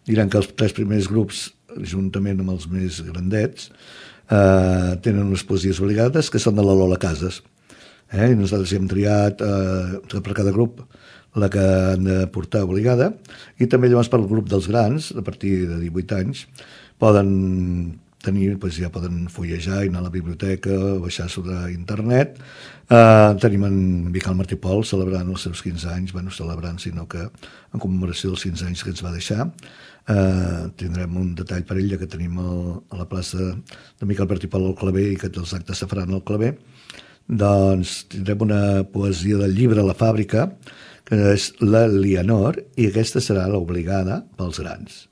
Diran que els 3 primers grups, juntament amb els més grandets, tenen unes poesies obligades que són de la Lola Casas. I nosaltres hi hem triat per cada grup la que han de portar obligada, i també llavors per al grup dels grans, a partir de 18 anys, poden tenir, doncs ja poden fullejar i anar a la biblioteca o baixar sobre internet. Tenim en Miquel Martí Pol celebrant els seus 15 anys, bueno, celebrant, sinó que en commemoració dels 15 anys que ens va deixar. Tindrem un detall per ell, ja que tenim a la plaça de Miquel Martí Pol al Claver i que els actes se faran al Claver. Doncs tindrem una poesia del llibre La Fàbrica, que és la Lianor, i aquesta serà l'obligada pels grans.